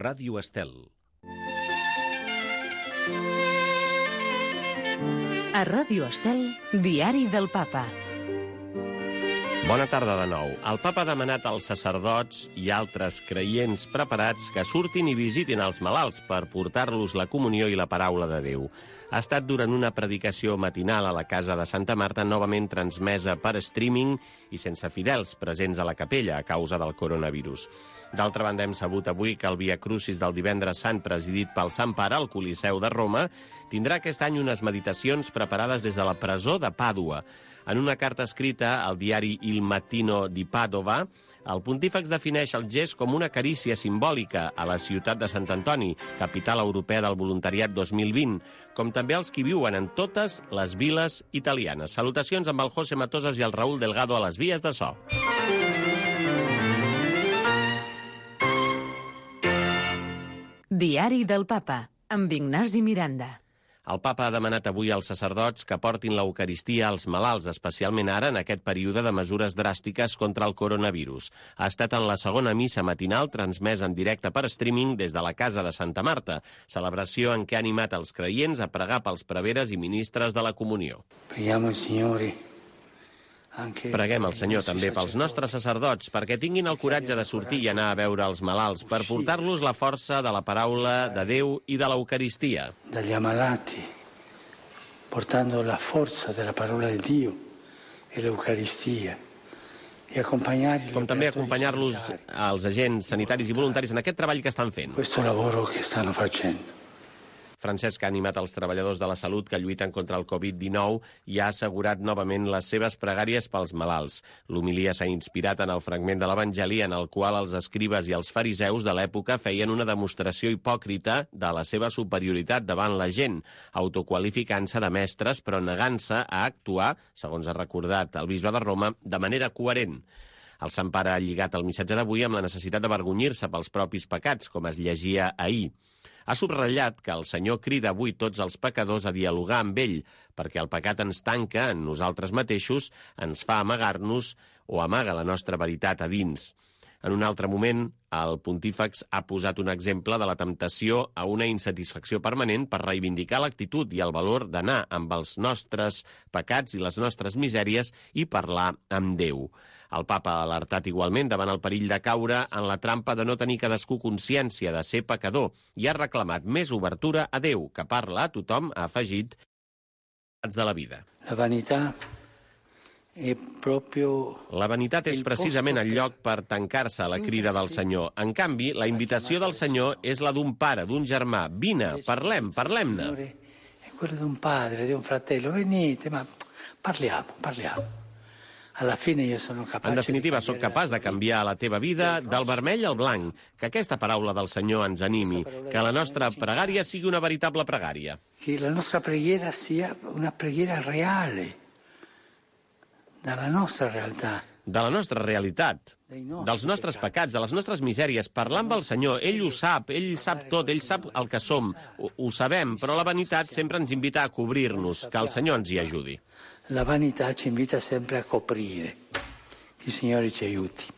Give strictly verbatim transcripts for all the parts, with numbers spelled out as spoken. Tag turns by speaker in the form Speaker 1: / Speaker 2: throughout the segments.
Speaker 1: Ràdio Estel.
Speaker 2: A Ràdio Estel, Diari del Papa.
Speaker 3: Bona tarda de nou. El papa ha demanat als sacerdots i altres creients preparats que surtin i visitin els malalts per portar-los la comunió i la paraula de Déu. Ha estat durant una predicació matinal a la casa de Santa Marta, novament transmesa per streaming i sense fidels presents a la capella a causa del coronavirus. D'altra banda, hem sabut avui que el Via Crucis del Divendres Sant, presidit pel Sant Pare al Coliseu de Roma, tindrà aquest any unes meditacions preparades des de la presó de Pàdua. En una carta escrita al diari Il Mattino di Padova, el pontífex defineix el gest com una carícia simbòlica a la ciutat de Sant Antoni, capital europea del voluntariat dos mil vint, com també els qui viuen en totes les viles italianes. Salutacions amb el José Matosas i el Raúl Delgado a les vies de so.
Speaker 2: Diari del Papa, amb Ignasi Miranda.
Speaker 3: El papa ha demanat avui als sacerdots que portin l'Eucaristia als malalts, especialment ara en aquest període de mesures dràstiques contra el coronavirus. Ha estat en la segona missa matinal transmesa en directe per streaming des de la casa de Santa Marta, celebració en què ha animat els creients a pregar pels preveres i ministres de la comunió.
Speaker 4: Preghiamo il Signore.
Speaker 3: Preguem al Senyor també pels nostres sacerdots perquè tinguin el coratge de sortir i anar a veure els malalts per portar-los la força de la paraula de Déu i de l'Eucaristia.
Speaker 4: Dagli ammalati, portando la forza della parola di Dio e l'Eucaristia.
Speaker 3: Com també acompanyar-los als agents sanitaris i voluntaris en aquest treball que estan fent.
Speaker 4: Questo lavoro che stanno facendo.
Speaker 3: Francesc ha animat els treballadors de la salut que lluiten contra el covid dinou i ha assegurat novament les seves pregàries pels malalts. L'homilia s'ha inspirat en el fragment de l'Evangeli en el qual els escribes i els fariseus de l'època feien una demostració hipòcrita de la seva superioritat davant la gent, autoqualificant-se de mestres però negant-se a actuar, segons ha recordat el bisbe de Roma, de manera coherent. El Sant Pare ha lligat el missatge d'avui amb la necessitat d'avergonyir-se pels propis pecats, com es llegia ahir. Ha subratllat que el Senyor crida avui tots els pecadors a dialogar amb ell, perquè el pecat ens tanca en nosaltres mateixos, ens fa amagar-nos o amaga la nostra veritat a dins. En un altre moment, el pontífex ha posat un exemple de la temptació a una insatisfacció permanent per reivindicar l'actitud i el valor d'anar amb els nostres pecats i les nostres misèries i parlar amb Déu. El papa ha alertat igualment davant el perill de caure en la trampa de no tenir cadascú consciència de ser pecador i ha reclamat més obertura a Déu, que parla a tothom, ha afegit, de la vida.
Speaker 4: La vanitat è proprio...
Speaker 3: La vanitat és precisament el lloc per tancar-se a la crida del Senyor. En canvi, la invitació del Senyor és la d'un pare, d'un germà. Vine, parlem, parlem-ne.
Speaker 4: È quella d'un padre, di un fratello. Venite, ma parliamo, parliamo. Alla fine io sono capace.
Speaker 3: En definitiva, sóc capaç de canviar la teva vida del vermell al blanc. Que aquesta paraula del Senyor ens animi, que la nostra pregària sigui una veritable pregària.
Speaker 4: Que la nostra preghiera sia una preghiera reale, dalla nostra realtà.
Speaker 3: De la nostra realitat, dels nostres pecats, de les nostres misèries, parlar amb el Senyor. Ell ho sap, ell sap tot, ell sap el que som, ho, ho sabem, però la vanitat sempre ens invita a cobrir-nos, que el Senyor ens hi ajudi.
Speaker 4: La vanità ci invita sempre a coprire. Que il Signore ci aiuti.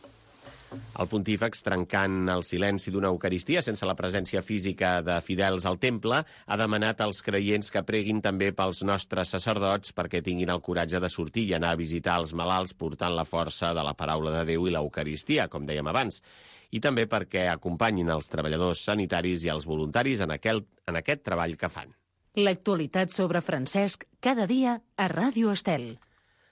Speaker 3: El pontífex, trencant el silenci d'una Eucaristia sense la presència física de fidels al temple, ha demanat als creients que preguin també pels nostres sacerdots perquè tinguin el coratge de sortir i anar a visitar els malalts portant la força de la paraula de Déu i l'Eucaristia, com dèiem abans, i també perquè acompanyin els treballadors sanitaris i els voluntaris en, aquel, en aquest treball que fan.
Speaker 2: L'actualitat sobre Francesc cada dia a Ràdio Estel.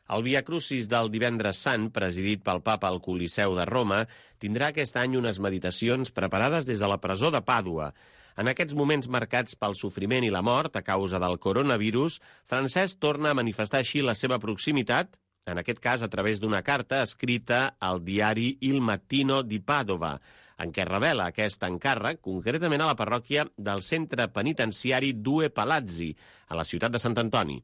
Speaker 3: El Via Crucis del Divendres Sant, presidit pel papa al Coliseu de Roma, tindrà aquest any unes meditacions preparades des de la presó de Pàdua. En aquests moments marcats pel sofriment i la mort a causa del coronavirus, Francesc torna a manifestar així la seva proximitat, en aquest cas a través d'una carta escrita al diari Il Mattino di Padova, en què revela aquest encàrrec concretament a la parròquia del centre penitenciari Due Palazzi, a la ciutat de Sant Antoni.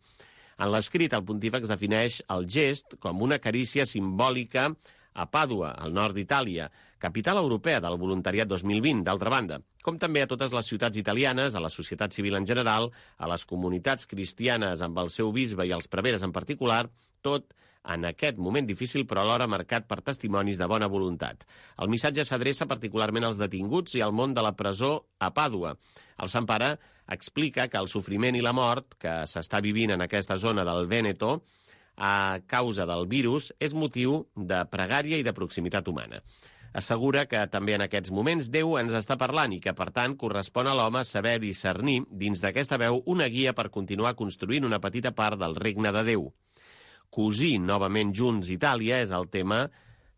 Speaker 3: En l'escrit, el pontífex defineix el gest com una carícia simbòlica a Pàdua, al nord d'Itàlia, capital europea del voluntariat dos mil vint, d'altra banda, com també a totes les ciutats italianes, a la societat civil en general, a les comunitats cristianes amb el seu bisbe i els preveres en particular, tot en aquest moment difícil però alhora marcat per testimonis de bona voluntat. El missatge s'adreça particularment als detinguts i al món de la presó a Pàdua. El Sant Pare explica que el sofriment i la mort que s'està vivint en aquesta zona del Vèneto a causa del virus és motiu de pregària i de proximitat humana. Assegura que també en aquests moments Déu ens està parlant i que, per tant, correspon a l'home saber discernir dins d'aquesta veu una guia per continuar construint una petita part del regne de Déu. Cosir novament junts Itàlia és el tema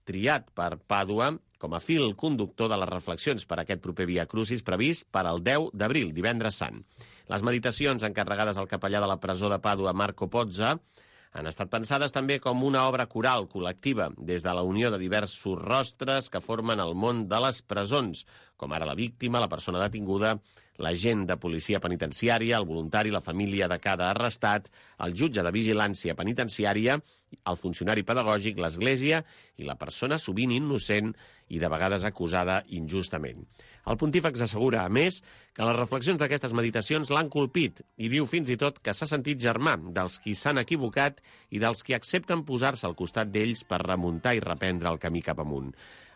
Speaker 3: triat per Pàdua com a fil conductor de les reflexions per a aquest proper Via Crucis previst per al deu d'abril, divendres sant. Les meditacions encarregades al capellà de la presó de Pàdua, Marco Pozza, han estat pensades també com una obra coral col·lectiva des de la unió de diversos rostres que formen el món de les presons, com ara la víctima, la persona detinguda, l'agent de policia penitenciària, el voluntari, la família de cada arrestat, el jutge de vigilància penitenciària, el funcionari pedagògic, l'església i la persona sovint innocent i de vegades acusada injustament. El pontífex assegura, a més, que les reflexions d'aquestes meditacions l'han colpit i diu fins i tot que s'ha sentit germà dels qui s'han equivocat i dels qui accepten posar-se al costat d'ells per remuntar i reprendre el camí cap amunt.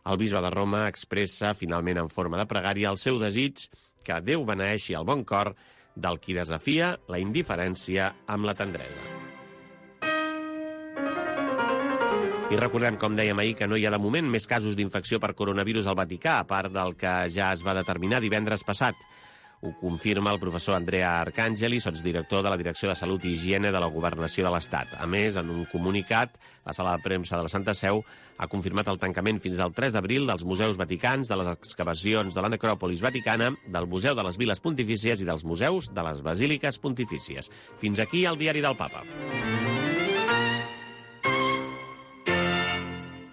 Speaker 3: El bisbe de Roma expressa, finalment en forma de pregària, el seu desig que Déu beneeixi el bon cor del qui desafia la indiferència amb la tendresa. I recordem, com dèiem ahir, que no hi ha de moment més casos d'infecció per coronavirus al Vaticà, a part del que ja es va determinar divendres passat. Ho confirma el professor Andrea Arcangeli, sotsdirector de la Direcció de Salut i Higiene de la Governació de l'Estat. A més, en un comunicat, la sala de premsa de la Santa Seu ha confirmat el tancament fins al tres d'abril dels museus vaticans, de les excavacions de la necròpolis vaticana, del Museu de les Viles Pontifícies i dels museus de les Basíliques Pontifícies. Fins aquí el diari del Papa.